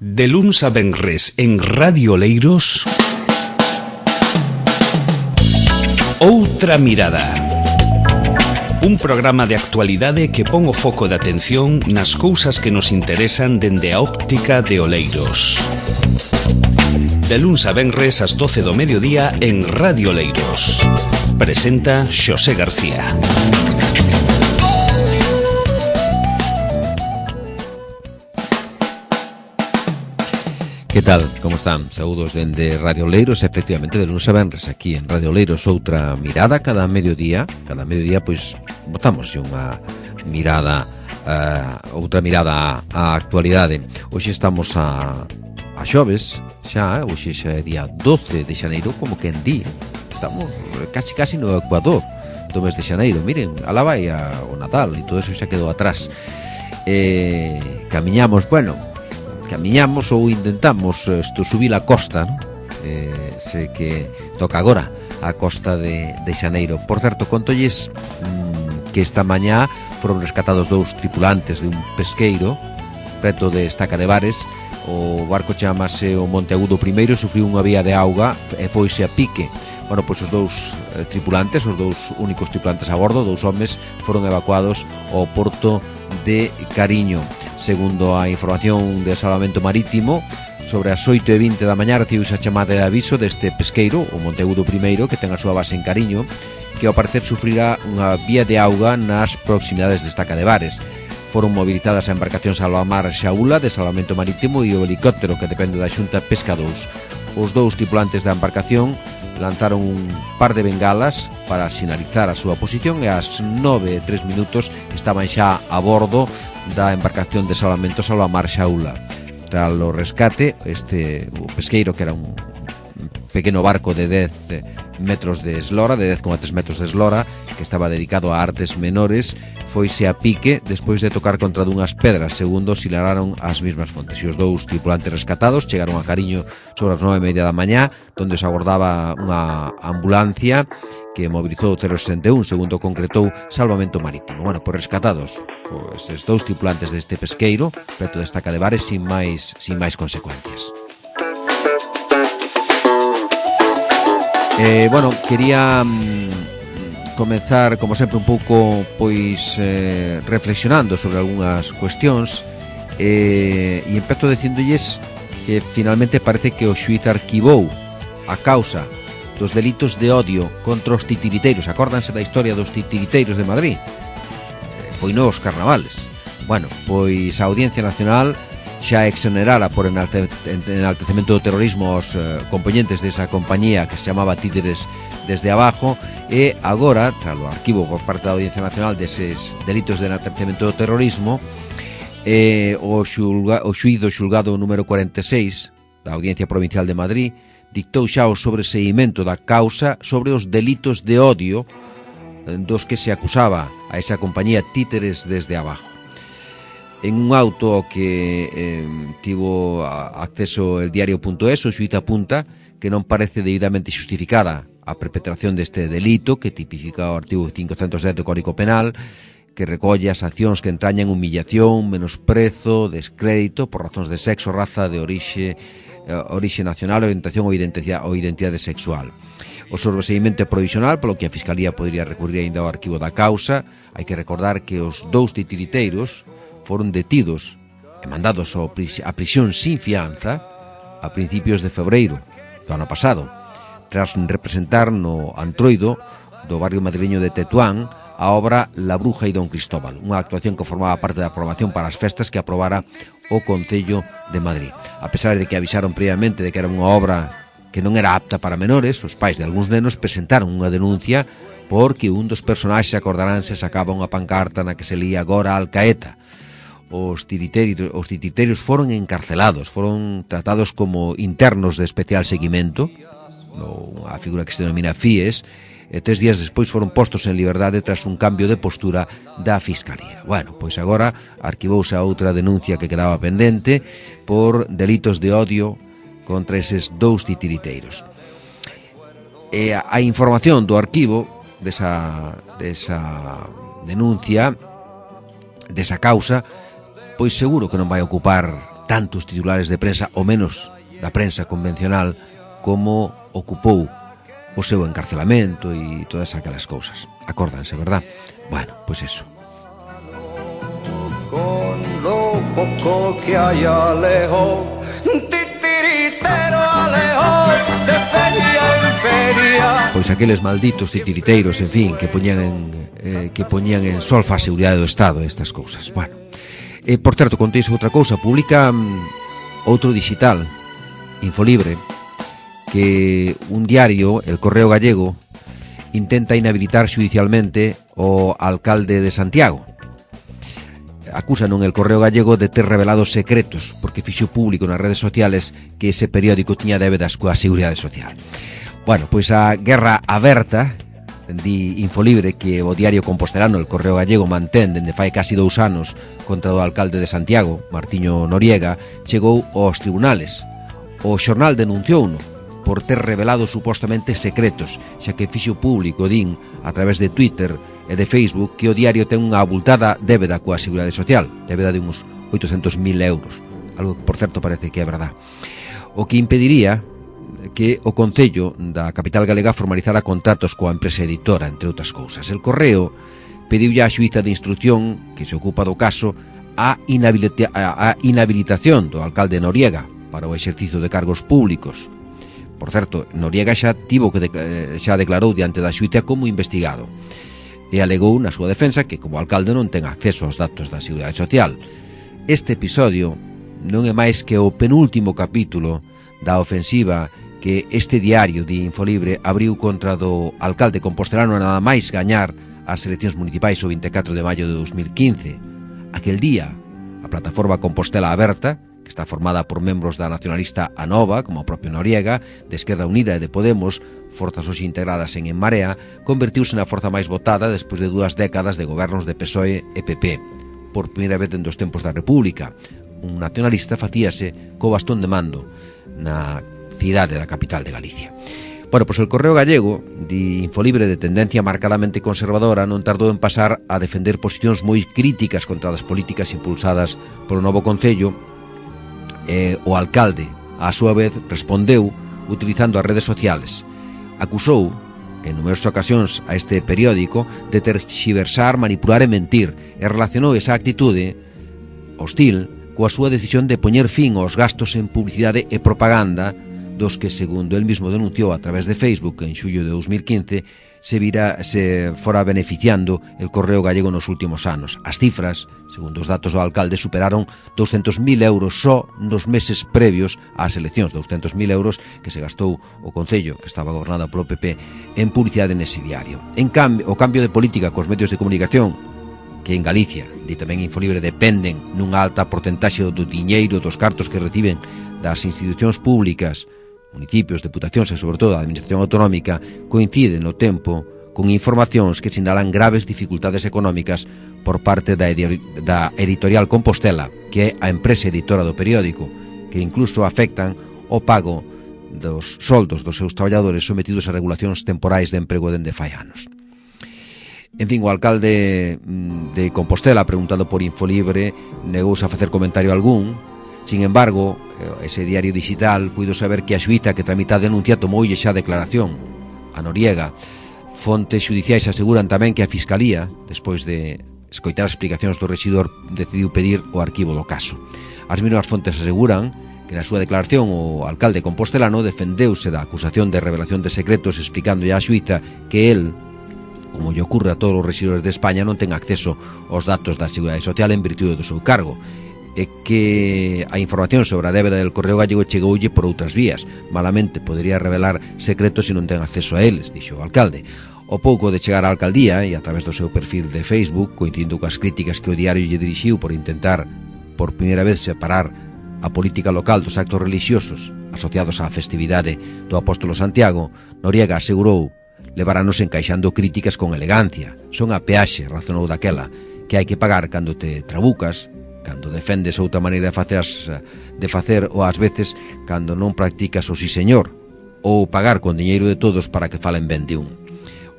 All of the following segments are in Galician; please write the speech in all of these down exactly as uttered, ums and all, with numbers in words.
De luns a venres en Radio Oleiros, Outra Mirada. Un programa de actualidade que pon o foco de atención nas cousas que nos interesan dende a óptica de Oleiros. De luns a venres ás doce do mediodía en Radio Oleiros. Presenta Xosé García. Que tal? Como están? Saúdos dende Radio Oleiros, efectivamente, de lunes a venres aquí en Radio Oleiros, Outra Mirada, cada mediodía, cada mediodía, pois, botamos unha mirada, uh, outra mirada á actualidade. Hoxe estamos a, a xoves, xa, hoxe xa é día doce de xaneiro, como quen di, estamos casi casi no Ecuador do mes de xaneiro. Miren, alá vai a, o Natal e todo eso xa quedou atrás. Eh, camiñamos, bueno, camiñamos ou intentamos isto, subir a costa, non? Eh, sei que toca agora a costa de, de Xaneiro. Por certo, contolles mmm, que esta mañá foron rescatados dous tripulantes de un pesqueiro preto de Estaca de Bares. O barco chamase o Monteagudo primeiro, sufriu unha vía de auga e foise a pique. Bueno, pois os dous eh, tripulantes, os dous únicos tripulantes a bordo, dous homes, foron evacuados ao porto de Cariño. Segundo a información de Salvamento Marítimo, sobre as oito e vinte da mañá recibiuse a chamada de aviso deste pesqueiro, o Monteagudo primeiro, que ten a súa base en Cariño, que ao parecer sufrirá unha vía de auga nas proximidades de Estaca de Bares. Foron movilizadas a embarcación Salvamar Xaula de Salvamento Marítimo e o helicóptero que depende da Xunta Pesca dous. Os dous tripulantes da embarcación lanzaron un par de bengalas para sinalizar a súa posición e ás nove e tres minutos estaban xa a bordo da embarcación de Salvamento Salvamar Xaula. Tras o rescate, este o pesqueiro, que era un pequeno barco de dez metros de eslora, de dez coma tres metros de eslora, que estaba dedicado a artes menores, foise a pique despois de tocar contra dunhas pedras, segundo sinalaron as mesmas fontes. E os dous tripulantes rescatados chegaron a Cariño sobre as nove e media da mañá, donde se agordaba unha ambulancia que mobilizou o cero sesenta e un, segundo concretou Salvamento Marítimo. Bueno, por rescatados pois os dous tripulantes deste pesqueiro preto de Estaca de Bares sin máis sin máis consecuencias. Eh, bueno, quería mm, comenzar, como sempre, un pouco pois eh, reflexionando sobre algunhas cuestións eh, e empezo dicindolles que finalmente parece que o xuíz arquivou a causa dos delitos de odio contra os titiriteiros. Acórdanse da historia dos titiriteiros de Madrid? Foi nos carnavales. Bueno, pois a Audiencia Nacional xa exonerara por enalte, enaltecemento do terrorismo aos eh, componentes desa compañía que se chamaba Títeres desde Abajo, e agora, tras o arquivo por parte da Audiencia Nacional deses delitos de enaltecemento do terrorismo, eh, o, xulga, o xuíz do xulgado número cuarenta e seis da Audiencia Provincial de Madrid dictou xa o sobreseimento da causa sobre os delitos de odio dos que se acusaba a esa compañía Títeres desde Abajo. En un auto ao que eh, tivo acceso el diario.es, o xuíz apunta que non parece debidamente xustificada a perpetración deste delito que tipifica o artigo quinhentos dez do Código Penal, que recolle as accións que entrañan humillación, menosprezo, descrédito por razóns de sexo, raza, de orixe, orixe nacional, orientación ou identidade, ou identidade sexual. O sobreseimento é provisional, polo que a Fiscalía podría recurrir ainda ao arquivo da causa. Hai que recordar que os dous titiriteiros foron detidos e mandados a prisión sin fianza a principios de febreiro do ano pasado, tras representar no Antroido do barrio madrileño de Tetuán a obra La Bruja e Don Cristóbal, unha actuación que formaba parte da programación para as festas que aprobara o Concello de Madrid. A pesar de que avisaron previamente de que era unha obra que non era apta para menores, os pais de algúns nenos presentaron unha denuncia porque un dos personaxes, acordaránse, sacaba unha pancarta na que se lía agora Alcaeta. Os titiriteiros, os titiriteiros foron encarcelados, foron tratados como internos de especial seguimento, a figura que se denomina F I E S, e tres días despois foron postos en liberdade tras un cambio de postura da Fiscalía. Bueno, pois agora arquivouse a outra denuncia que quedaba pendente por delitos de odio contra eses dous titiriteiros. E a información do arquivo desa, desa denuncia, desa causa, pois seguro que non vai ocupar tantos titulares de prensa, ou menos da prensa convencional, como ocupou o seu encarcelamento e todas aquelas cousas. Acórdanse, verdad? Bueno, pois eso. Con lo poco que hay alejo, titiritero alejo, de feria en feria. Pois aqueles malditos titiriteiros, en fin, que poñían en, eh, que poñían en solfa a seguridade do Estado, estas cousas. Bueno, eh, por certo, contéis outra cousa, publica um, outro digital, Infolibre, que un diario, El Correo Gallego, intenta inhabilitar xudicialmente o alcalde de Santiago. Acusan en El Correo Gallego de ter revelado secretos porque fixo público nas redes sociales que ese periódico tiña débedas coa Seguridade Social. Bueno, pois a guerra aberta, di Infolibre, que o diario compostelano El Correo Gallego mantén dende fai casi dous anos contra o alcalde de Santiago, Martiño Noriega, chegou aos tribunales. O xornal denunciouno por ter revelado supostamente secretos, xa que fixo público, din, a través de Twitter e de Facebook, que o diario ten unha abultada débeda coa Seguridade Social, débeda de uns oitocentos mil euros, algo que, por certo, parece que é verdad. O que impediría que o Concello da capital galega formalizara contratos coa empresa editora, entre outras cousas. El Correo pediulle á xuíza de instrucción, que se ocupa do caso, a, inhabilita a inhabilitación do alcalde Noriega para o exercicio de cargos públicos. Por certo, Noriega xa tivo que de, xa declarou diante da xuíza como investigado e alegou na súa defensa que como alcalde non ten acceso aos datos da Seguridade Social. Este episodio non é máis que o penúltimo capítulo da ofensiva que este diario de Infolibre abriu contra do alcalde compostelano nada máis gañar as eleccións municipais o vinte e catro de maio de dos mil quince. Aquel día, a plataforma Compostela Aberta, que está formada por membros da nacionalista Anova, como o propio Noriega, de Esquerda Unida e de Podemos, forzas hoxe integradas en En Marea, convertiuse na forza máis votada despois de dúas décadas de gobernos de P S O E e P P. Por primeira vez en dos tempos da República, un nacionalista facíase co bastón de mando na cidade da capital de Galicia. Bueno, pois el Correo Gallego, de Infolibre de tendencia marcadamente conservadora, non tardou en pasar a defender posicións moi críticas contra as políticas impulsadas polo novo Concello. Eh, o alcalde, á súa vez, respondeu utilizando as redes sociales. Acusou, en numerosas ocasións, a este periódico de terxiversar, manipular e mentir, e relacionou esa actitude hostil coa súa decisión de poñer fin aos gastos en publicidade e propaganda dos que, segundo el mismo denunciou a través de Facebook en xullo de dos mil quince, se vira se fora beneficiando el Correo Gallego nos últimos anos. As cifras, segundo os datos do alcalde, superaron douscentos mil euros só nos meses previos ás eleccións, douscentos mil euros que se gastou o Concello, que estaba gobernado polo P P, en publicidade nese diario. En cambio, o cambio de política cos medios de comunicación, que en Galicia, di tamén Infolibre, dependen nunha alta porcentaxe do diñeiro dos cartos que reciben das institucións públicas, municipios, deputacións e, sobre todo, a administración autonómica, coincide no tempo con informacións que sinalan graves dificultades económicas por parte da, edi da Editorial Compostela, que é a empresa editora do periódico, que incluso afectan o pago dos soldos dos seus traballadores sometidos a regulacións temporais de emprego dende fai anos. En fin, o alcalde de Compostela, preguntado por Infolibre, negouse a facer comentario algún. Sin embargo, ese diario digital puido saber que a xuíza que tramita a denuncia tomoulle xa declaración a Noriega. Fontes xudiciais aseguran tamén que a Fiscalía, despois de escoitar as explicacións do rexidor, decidiu pedir o arquivo do caso. As mesmas fontes aseguran que na súa declaración o alcalde compostelano defendeuse da acusación de revelación de secretos, explicando á xuíza que el, como lle ocurre a todos os rexidores de España, non ten acceso aos datos da Seguridade Social en virtude do seu cargo, e que a información sobre a débeda del Correo Gallego chegoulle por outras vías. Malamente podería revelar secretos se non ten acceso a eles, dixo o alcalde. O pouco de chegar á alcaldía e a través do seu perfil de Facebook, coincidindo coas críticas que o diario lle dirixiu por intentar por primeira vez separar a política local dos actos religiosos asociados á festividade do Apóstolo Santiago, Noriega asegurou leváranos encaixando críticas con elegancia. Son a peaxe, razonou daquela, que hai que pagar cando te trabucas, cando defendes outra maneira de facer, as, de facer ou ás veces cando non practicas o sí señor, ou pagar con diñeiro de todos para que falen ben de un.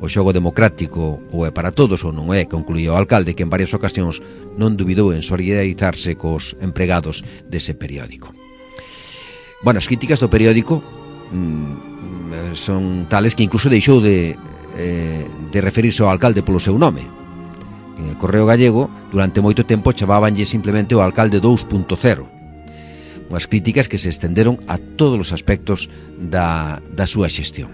o xogo democrático ou é para todos ou non é, concluía o alcalde, que en varias ocasións non dubidou en solidarizarse cos empregados dese periódico. Bueno, as críticas do periódico mmm, son tales que incluso deixou de, eh, de referirse ao alcalde polo seu nome. En el Correo Gallego, durante moito tempo chamábanlle simplemente o alcalde dous punto cero. Unhas críticas que se estenderon a todos os aspectos da, da súa xestión.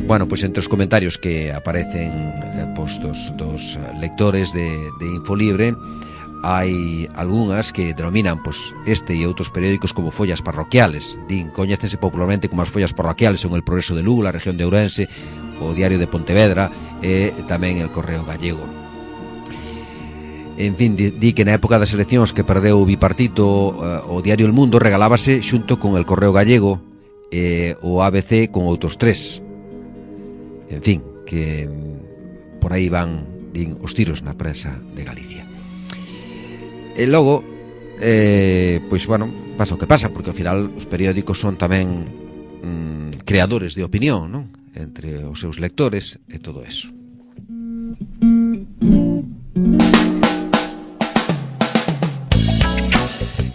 Bueno, pois entre os comentarios que aparecen eh, postos dos lectores de, de Infolibre, hai algunhas que denominan pois, este e outros periódicos como follas parroquiales. Din, coñécense popularmente como as follas parroquiales, son el Progreso de Lugo, a región de Ourense, o Diario de Pontevedra e tamén el Correo Gallego. En fin, di, di que na época das eleccións que perdeu o bipartito, uh, o Diario El Mundo regalábase xunto con el Correo Gallego e o A B C con outros tres. En fin, que por aí van, din, os tiros na prensa de Galicia. E logo, eh, pois, bueno, pasa o que pasa, porque ao final os periódicos son tamén mm, creadores de opinión, non? Entre os seus lectores e todo eso.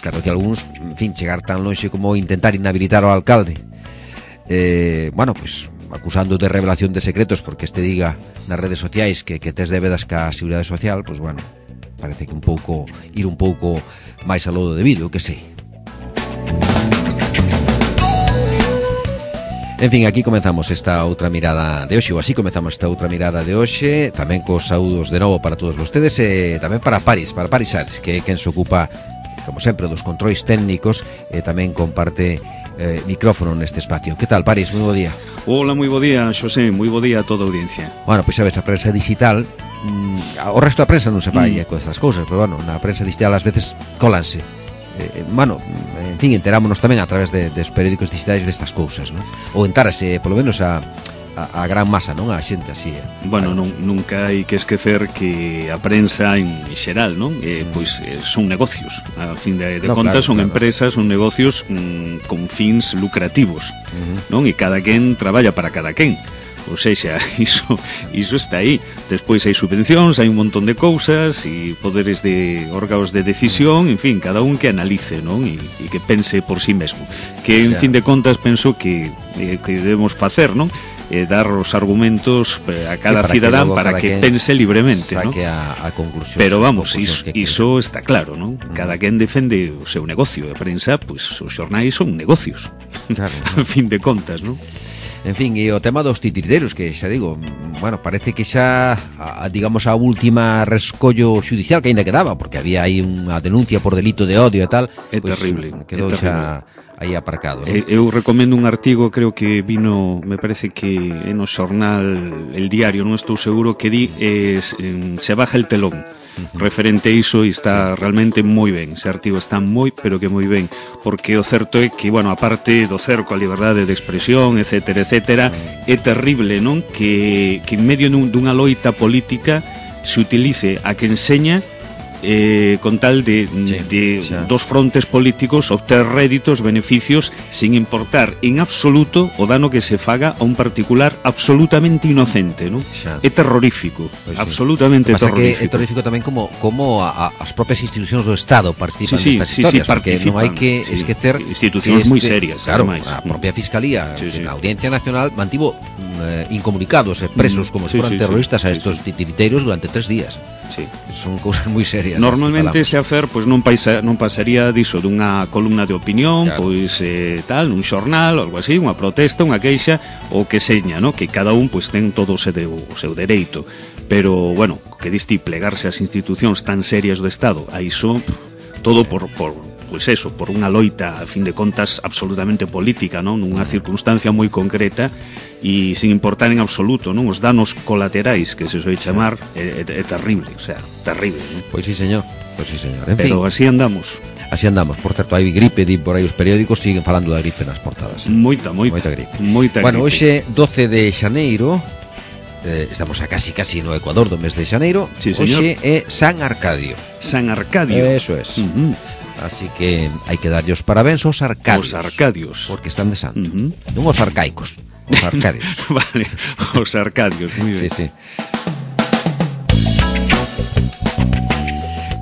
Claro que algúns, en fin, chegar tan lonxe como intentar inhabilitar ao alcalde, eh, bueno, pois, acusando de revelación de secretos porque este diga nas redes sociais que, que tes débedas ca Seguridade Social, pois, bueno, parece que un pouco ir un pouco máis a lo debido, que sei. En fin, aquí comezamos esta outra mirada de hoxe, ou así comezamos esta outra mirada de hoxe, tamén cos saúdos de novo para todos vostedes e tamén para Paris, para Paris Sars, que é quen se ocupa, como sempre, dos controis técnicos e tamén comparte eh, micrófono neste espacio. Que tal, Paris? Moi bo día. Hola, moi bo día, Xosé, moi bo día a toda a audiencia. Bueno, pois sabes, a prensa digital, mm, o resto da prensa non se fai mm. con estas cousas, pero bueno, na prensa digital ás veces colanse. Eh, bueno, en fin, enterámonos tamén a través de, dos periódicos digitais destas cousas, non? Ou entárase, polo menos, a, a, a gran masa, non? A xente así. Eh. Bueno, non, nunca hai que esquecer que a prensa en xeral, non? Eh, pois eh, son negocios, a fin de, de no, contas claro, son claro. empresas, son negocios mm, con fins lucrativos, uh-huh. non? E cada quen traballa para cada quen. Ou seja, iso, iso está aí. Despois hai subvencións, hai un montón de cousas e poderes de órganos de decisión, en fin, cada un que analice, non? E, e que pense por sí mesmo. Que, en fin de contas, penso que, eh, que debemos facer, non? Eh, dar os argumentos a cada para cidadán que para que pense libremente, ¿no? a, a conclusión. Pero vamos, iso, iso está claro, ¿no? Mm. Cada quen defende o seu negocio. A prensa, pues, os xornais son negocios, claro, ¿no? A fin de contas, ¿no? En fin, e o tema dos titiriteiros, que xa digo, bueno, parece que xa, a, digamos, a última rescollo judicial que ainda quedaba, porque había aí unha denuncia por delito de odio e tal, é pues, terrible, quedou é terrible. Xa aí aparcado, ¿no? Eu recomendo un artigo, creo que vino, me parece que no xornal El Diario, non estou seguro, que di eh, se baja el telón, uh-huh. referente a iso, e está sí. realmente moi ben. Ese artigo está moi, pero que moi ben, porque o certo é que, bueno, aparte do cerco a liberdade de expresión, etcétera, etcétera, uh-huh. é terrible, non? Que, que en medio dun, dunha loita política se utilice a que enseña Eh, con tal de, sí, de dos frontes políticos obter réditos, beneficios, sin importar en absoluto o dano que se faga a un particular absolutamente inocente, ¿no? É terrorífico, pues absolutamente sí. terrorífico. Que é terrorífico tamén como, como a, a, as propias institucións do Estado participan sí, sí, nestas sí, historias, sí, porque non hai que sí. esquecer institucións moi serias, claro, ademais. A propia Fiscalía, sí, sí. na Audiencia Nacional mantivo eh, incomunicados e presos como sí, se foran sí, terroristas sí, a estos sí. titiriteiros durante tres días. Sí. Son cousas moi serias. Normalmente ese afer pois non paisa, non pasaría diso dunha columna de opinión, claro. pois eh, tal, un xornal, algo así, unha protesta, unha queixa, o que seña, ¿no? Que cada un pois ten todo o seu, o seu dereito. Pero, bueno, que diste plegarse ás institucións tan serias do Estado, a iso todo por por pois eso, por unha loita, a fin de contas, absolutamente política, non? Nunha circunstancia moi concreta e sin importar en absoluto, non? Os danos colaterais que se soe chamar é, é, é terrible, o sea, terrible, non? Pois sí, señor, pois sí, señor. En Pero fin, así andamos. Así andamos. Por certo, hai gripe, di por aí os periódicos siguen falando da gripe nas portadas. Eh? Moita, moita, moita gripe. Moita bueno, gripe. hoxe doce de xaneiro, eh, estamos a casi casi no Ecuador do mes de xaneiro. Sí, señor. Hoxe é San Arcadio. San Arcadio. Eso es. Uh-huh. Así que hai que darlle os parabéns aos arcadios. Os arcadios. Porque están de santo. Uh-huh. Non os arcaicos, os arcadios. Vale, os arcadios, moi ben. Sí, sí.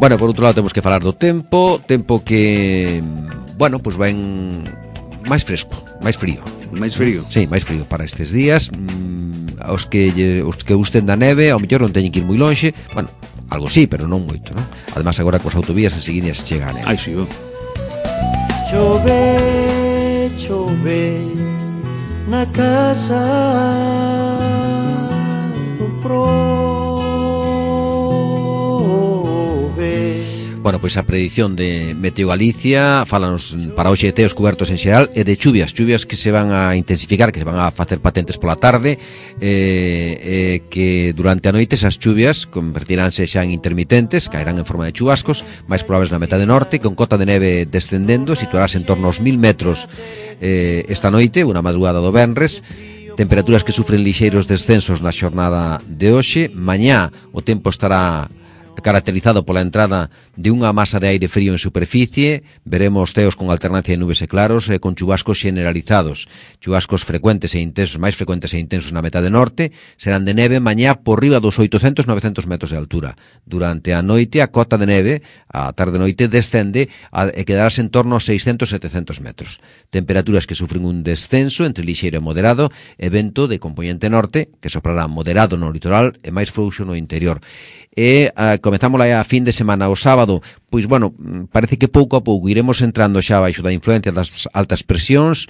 Bueno, por outro lado temos que falar do tempo, tempo que, bueno, pois pues ven máis fresco, máis frío. Máis frío? Sí, máis frío para estes días. Mm, os que os que gusten da neve, ao mellor non teñen que ir moi lonxe. Bueno, algo sí, pero non moito, non? Ademais agora coas autovías enseguida se chega a neve. Ai, sí, oh. Chove, chove na casa do prove. Bueno, pois a predición de Meteo Galicia fálanos para hoxe de teos cubertos en xeral e de chuvias, chuvias que se van a intensificar, que se van a facer patentes pola tarde, eh, eh, que durante a noite esas chuvias convertiránse xa en intermitentes, caerán en forma de chubascos, máis probables na metade norte, con cota de neve descendendo, situarase en torno aos mil metros eh, esta noite, unha madrugada do venres. Temperaturas que sufren lixeiros descensos na xornada de hoxe. Mañá o tempo estará caracterizado pola entrada de unha masa de aire frío en superficie. Veremos teos con alternancia de nubes e claros e con chubascos generalizados. Chubascos frecuentes e intensos, máis frecuentes e intensos na metade norte. Serán de neve mañá por riba dos oitocentos a novecentos metros de altura. Durante a noite a cota de neve, a tarde-noite, descende a, e quedarase en torno aos seiscentos a setecentos metros. Temperaturas que sufren un descenso entre lixeiro e moderado e vento de componente norte que soprará moderado no litoral e máis frouxo no interior. E a, comezamos a fin de semana o sábado, pois bueno, parece que pouco a pouco iremos entrando xa baixo da influencia das altas presións,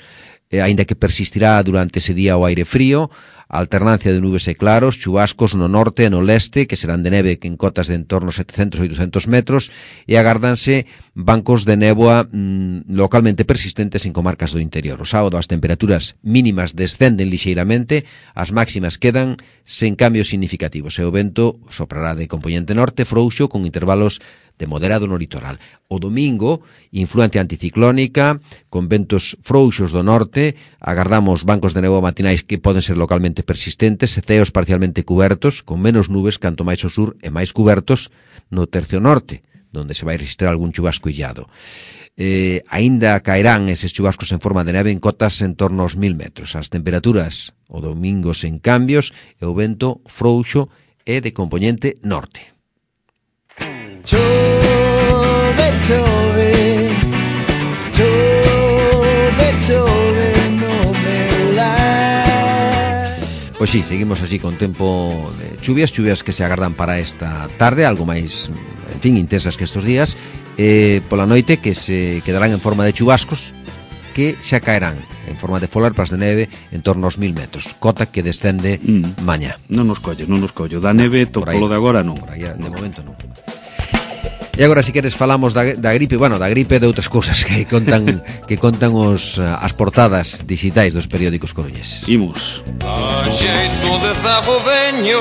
eh, aínda que persistirá durante ese día o aire frío, a alternancia de nubes e claros, chubascos no norte e no leste, que serán de neve que en cotas de en torno a setecentos a oitocentos metros, e agárdanse bancos de néboa mmm, localmente persistentes en comarcas do interior. O sábado as temperaturas mínimas descenden lixeiramente, as máximas quedan sen cambios significativos, e o vento soprará de componente norte frouxo con intervalos de moderado no litoral. O domingo, influencia anticiclónica, con ventos frouxos do norte, agardamos bancos de néboa matinais que poden ser localmente persistentes, e ceos parcialmente cubertos, con menos nubes canto máis ao sur e máis cubertos no tercio norte, donde se vai registrar algún chubasco illado. Eh, aínda caerán eses chubascos en forma de neve en cotas en torno aos mil metros. As temperaturas o domingo sen cambios e o vento frouxo e de componente norte. Chove, chove, chove, chove no meu lar. Pois sí, seguimos así con tempo de chuvias, chuvias que se agardan para esta tarde, algo máis, en fin, intensas que estos días, eh, pola noite que se quedarán en forma de chubascos que xa caerán en forma de folarpas de neve en torno aos mil metros, cota que descende mm. mañá. Non nos collo, non nos collo, da neve, to, polo de agora non. Por aí, de momento non. E agora, se queres, falamos da, da gripe, bueno, da gripe e de outras cousas que contan que contan os as portadas digitais dos periódicos coruñeses. Imos. A xeito de zago veño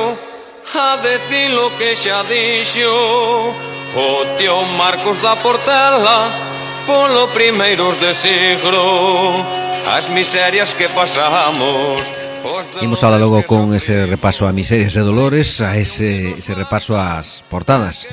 a decir lo que xa dixo o tío Marcos da Portela polo primeiros de siglo, as miserias que pasamos. Imos ala logo con ese repaso a miserias e dolores, a ese, ese repaso ás portadas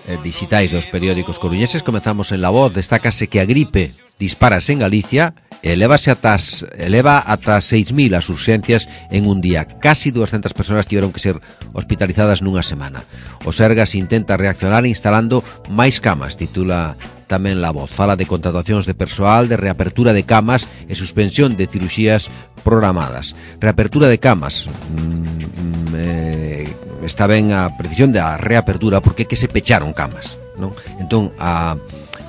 eh, digitais dos periódicos coruñeses. Comezamos en La Voz. Destácase que a gripe disparase en Galicia e elevase atas, eleva ata seis mil as urxencias en un día. Casi doscientas persoas tiveron que ser hospitalizadas nunha semana. O Sergas intenta reaccionar instalando máis camas, titula tamén La Voz. Fala de contratacións de persoal, de reapertura de camas e suspensión de cirurxías programadas. Reapertura de camas, mm, eh, está ben a precisión da reapertura, porque é que se pecharon camas, non? Entón, a,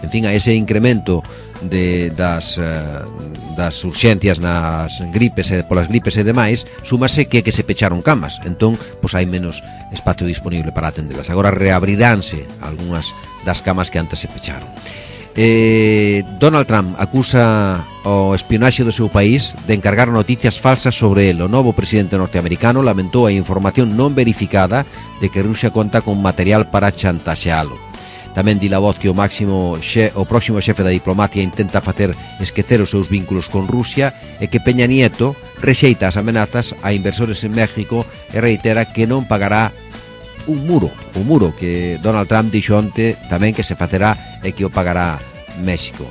en fin, a ese incremento de, das, uh, das urxencias nas gripes e polas gripes e demais, súmase que é que se pecharon camas. Entón, pois hai menos espacio disponible para atendelas. Agora reabriránse algunhas das camas que antes se pecharon. Eh, Donald Trump acusa o espionaxe do seu país de encargar noticias falsas sobre el. O novo presidente norteamericano lamentou a información non verificada de que Rusia conta con material para chantaxealo. Tamén di La Voz que o máximo xe, o próximo xefe da diplomacia intenta facer esquecer os seus vínculos con Rusia e que Peña Nieto rexeita as amenazas a inversores en México e reitera que non pagará un muro, un muro que Donald Trump dixo onte tamén que se facerá e que o pagará México.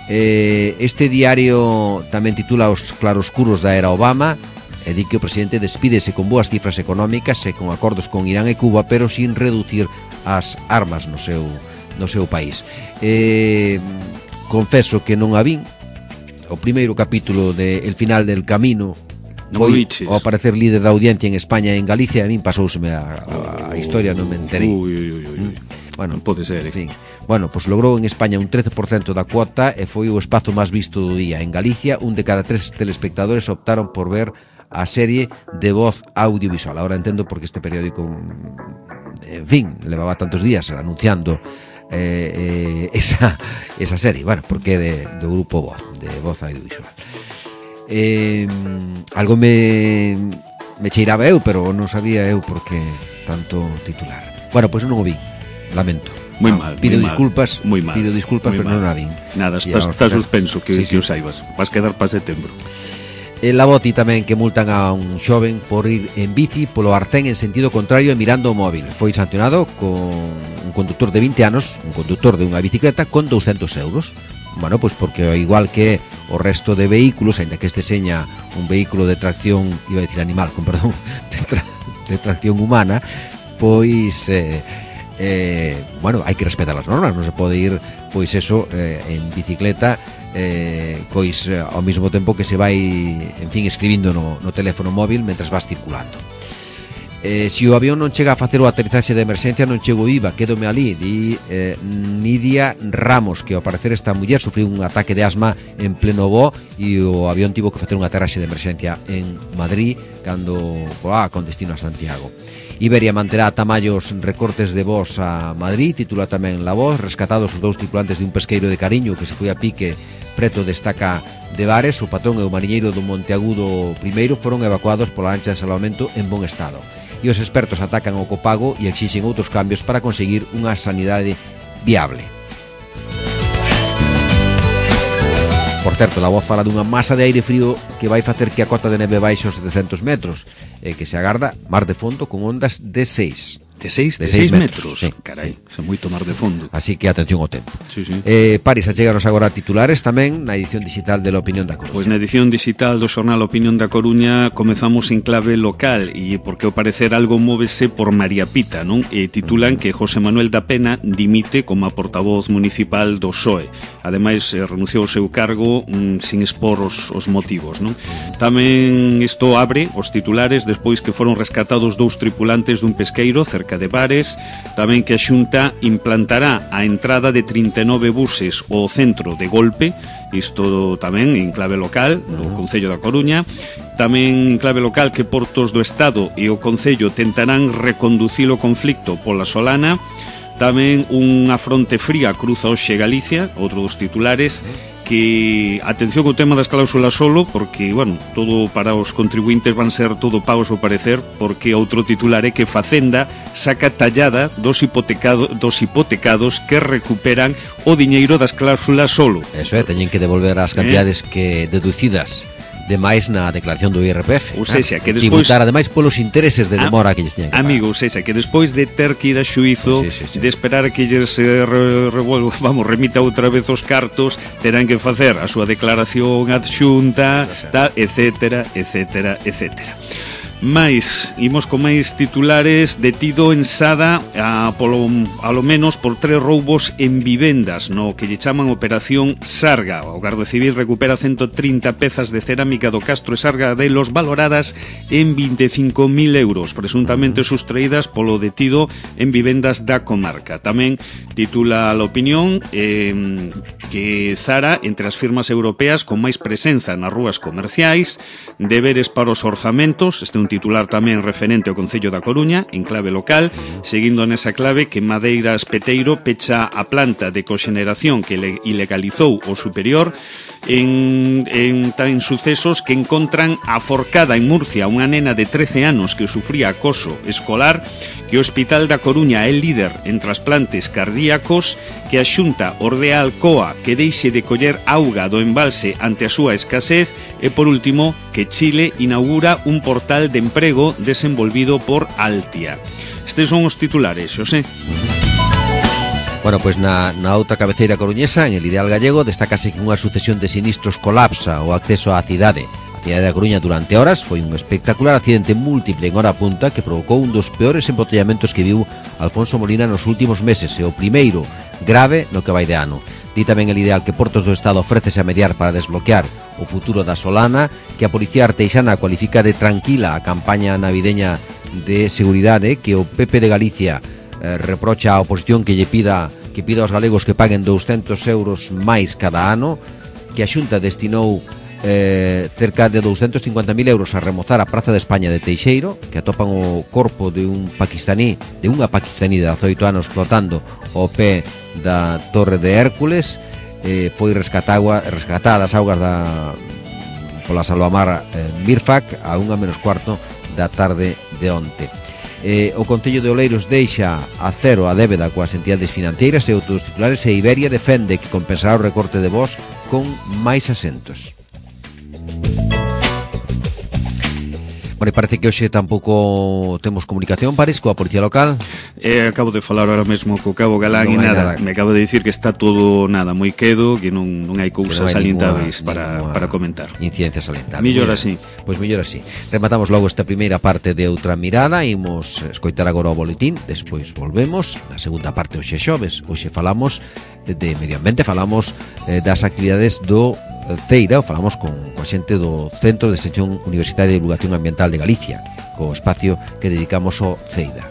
Eh, este diario tamén titula Os claroscuros da era Obama e di que o presidente despídese con boas cifras económicas e con acordos con Irán e Cuba, pero sin reducir as armas no seu, no seu país. Eh, confeso que non a vin. O primeiro capítulo de El final del camino foi ao aparecer líder da audiencia en España e en Galicia, a min pasouseme a, a, a historia, non me enterei. Ui, ui, ui, ui. Bueno, non pode ser, eh? En fin. Bueno, pois pues logrou en España un trece por cento da cuota e foi o espazo máis visto do día. En Galicia, un de cada tres telespectadores optaron por ver a serie de voz audiovisual. Ahora entendo por que este periódico, en fin, levaba tantos días anunciando eh, eh, esa, esa serie. Bueno, porque de, do grupo Voz, de voz audiovisual. Eh, algo me, me cheiraba eu, pero non sabía eu por que tanto titular. Bueno, pois pues non o vi. Lamento. Moi mal, pido moi disculpas, mal, mal, pido disculpas, pero non a vin. Nada, está, está suspenso, que, sí, que sí. O saibas. Vas quedar para setembro. El Laboti tamén que multan a un xoven por ir en bici polo Arcén en sentido contrario e mirando o móvil. Foi sancionado con un conductor de vinte anos, un conductor de unha bicicleta, con douscentos euros. Bueno, pois porque igual que o resto de vehículos, aínda que este seña un vehículo de tracción, iba a decir animal, con perdón, de, tra de tracción humana, pois... Eh, Eh, bueno, hai que respetar as normas, non se pode ir, pois eso, eh, en bicicleta, eh, pois eh, ao mesmo tempo que se vai, en fin, escribindo no, no teléfono móvil mentras vas circulando. Eh, se o avión non chega a facer o aterrizaxe de emerxencia, non chego viva, quédome ali, di eh, Nidia Ramos, que ao parecer esta muller sufriu un ataque de asma en pleno voo e o avión tivo que facer un aterraxe de emerxencia en Madrid cando ah, con destino a Santiago. Iberia manterá tamallos recortes de voz a Madrid, titula tamén La Voz. Rescatados os dous tripulantes de un pesqueiro de Cariño que se foi a pique preto de Estaca de Bares. O patrón e o mariñeiro do Monteagudo primeiro foron evacuados pola lancha de salvamento en bon estado. E os expertos atacan o copago e exixen outros cambios para conseguir unha sanidade viable. Por certo, La Voz fala dunha masa de aire frío que vai facer que a cota de neve baixe aos setecentos metros e que se agarda mar de fondo con ondas de seis. De seis, de seis metros, metros. Sí, carai, sí. Se moito mar de fondo. Así que atención ao tempo. Sí, sí. Eh, Paris, acheganos agora titulares tamén na edición digital de La Opinión da Coruña. Pois na edición digital do xornal Opinión da Coruña comezamos en clave local e porque ao parecer algo móvese por María Pita, non? E titulan que José Manuel da Pena dimite como a portavoz municipal do P S O E. Ademais, renunciou ao seu cargo mm, sin expor os, os motivos, non? Tamén isto abre os titulares despois que foron rescatados dous tripulantes dun pesqueiro cerca de Bares, tamén que a Xunta implantará a entrada de trinta e nove buses ao centro de golpe, isto tamén en clave local do Concello da Coruña. Tamén en clave local que Portos do Estado e o Concello tentarán reconducir o conflicto pola Solana. Tamén unha fronte fría cruza hoxe Galicia, outro dos titulares, que atención co tema das cláusulas solo, porque, bueno, todo para os contribuintes van ser todo pagos ao parecer, porque outro titular é que Facenda saca tallada dos, hipotecado, dos hipotecados que recuperan o diñeiro das cláusulas solo. Eso é, teñen que devolver as cantidades eh? que deducidas demais na declaración do I R P F. Ou sexa, que despois tributar ademais polos intereses de demora a, que lles teñen que pagar. Amigo, ou sexa, que despois de ter que ir a xuízo, sí, sí, sí. de esperar que lles se re, revuelva, vamos, remita outra vez os cartos, terán que facer a súa declaración adxunta, tal, etcétera, etcétera, etcétera. Mais, imos con máis titulares. Detido en Sada a, polo, a lo menos por tres roubos en vivendas no que lle chaman Operación Sarga. O Garda Civil recupera ciento trinta pezas de cerámica do Castro e Sarga de los valoradas en vinte e cinco mil euros, presuntamente sustraídas polo detido en vivendas da comarca. Tamén titula a La Opinión eh, que Zara entre as firmas europeas con máis presenza nas rúas comerciais, deberes para os orzamentos. Este é un titular tamén referente ao Concello da Coruña en clave local, seguindo nesa clave que Madeiras Peteiro pecha a planta de coxeneración que le ilegalizou o superior en, en tan sucesos que encontran aforcada en Murcia unha nena de trece anos que sufría acoso escolar, que o Hospital da Coruña é líder en trasplantes cardíacos, que a Xunta ordea a Alcoa que deixe de coller auga do embalse ante a súa escasez e, por último, que Chile inaugura un portal de emprego desenvolvido por Altia. Estes son os titulares, Xosé. Bueno, pois na, na outra cabeceira coruñesa, en el Ideal Gallego, destácase que unha sucesión de sinistros colapsa o acceso á cidade. A cidade da Coruña durante horas foi un espectacular accidente múltiple en hora punta que provocou un dos peores embotellamentos que viu Alfonso Molina nos últimos meses e o primeiro grave no que vai de ano. Di tamén el Ideal que Portos do Estado ofrécese a mediar para desbloquear o futuro da Solana, que a Policía Arteixana cualifica de tranquila a campaña navideña de seguridade, que o P P de Galicia Eh, reprocha a oposición que lle pida que pida aos galegos que paguen douscentos euros máis cada ano, que a Xunta destinou eh, cerca de douscentos cincuenta mil euros a remozar a Praza de España de Teixeiro, que atopan o corpo de un paquistaní, de unha paquistaní de dezaoito anos flotando ao pé da Torre de Hércules. eh, foi rescatada, rescatada das augas da pola salvamar eh, Mirfac a unha menos cuarto da tarde de onte. Eh, o Concello de Oleiros deixa a cero a débeda coas entidades financeiras e outros titulares, e Iberia defende que compensará o recorte de voz con máis asentos. Bueno, parece que hoxe tampouco temos comunicación, París, coa Policía Local. Eh, acabo de falar ahora mesmo co Cabo Galán Non e hai nada, nada. me acabo de dicir que está todo nada moi quedo, que non, non hai cousas non hai salientáveis ninguna- para, ninguna para comentar. Incidencia salientar. Millor Moi así. ben. Pois mellor así. Rematamos logo esta primeira parte de Outra Mirada. Imos escoitar agora o boletín, despois volvemos. Na segunda parte hoxe xoves. Hoxe falamos de medio ambiente, falamos eh, das actividades do Ceira, falamos con coa xente do Centro de Extensión Universitaria de Divulgación Ambiental de Galicia, co espacio que dedicamos ao Ceira.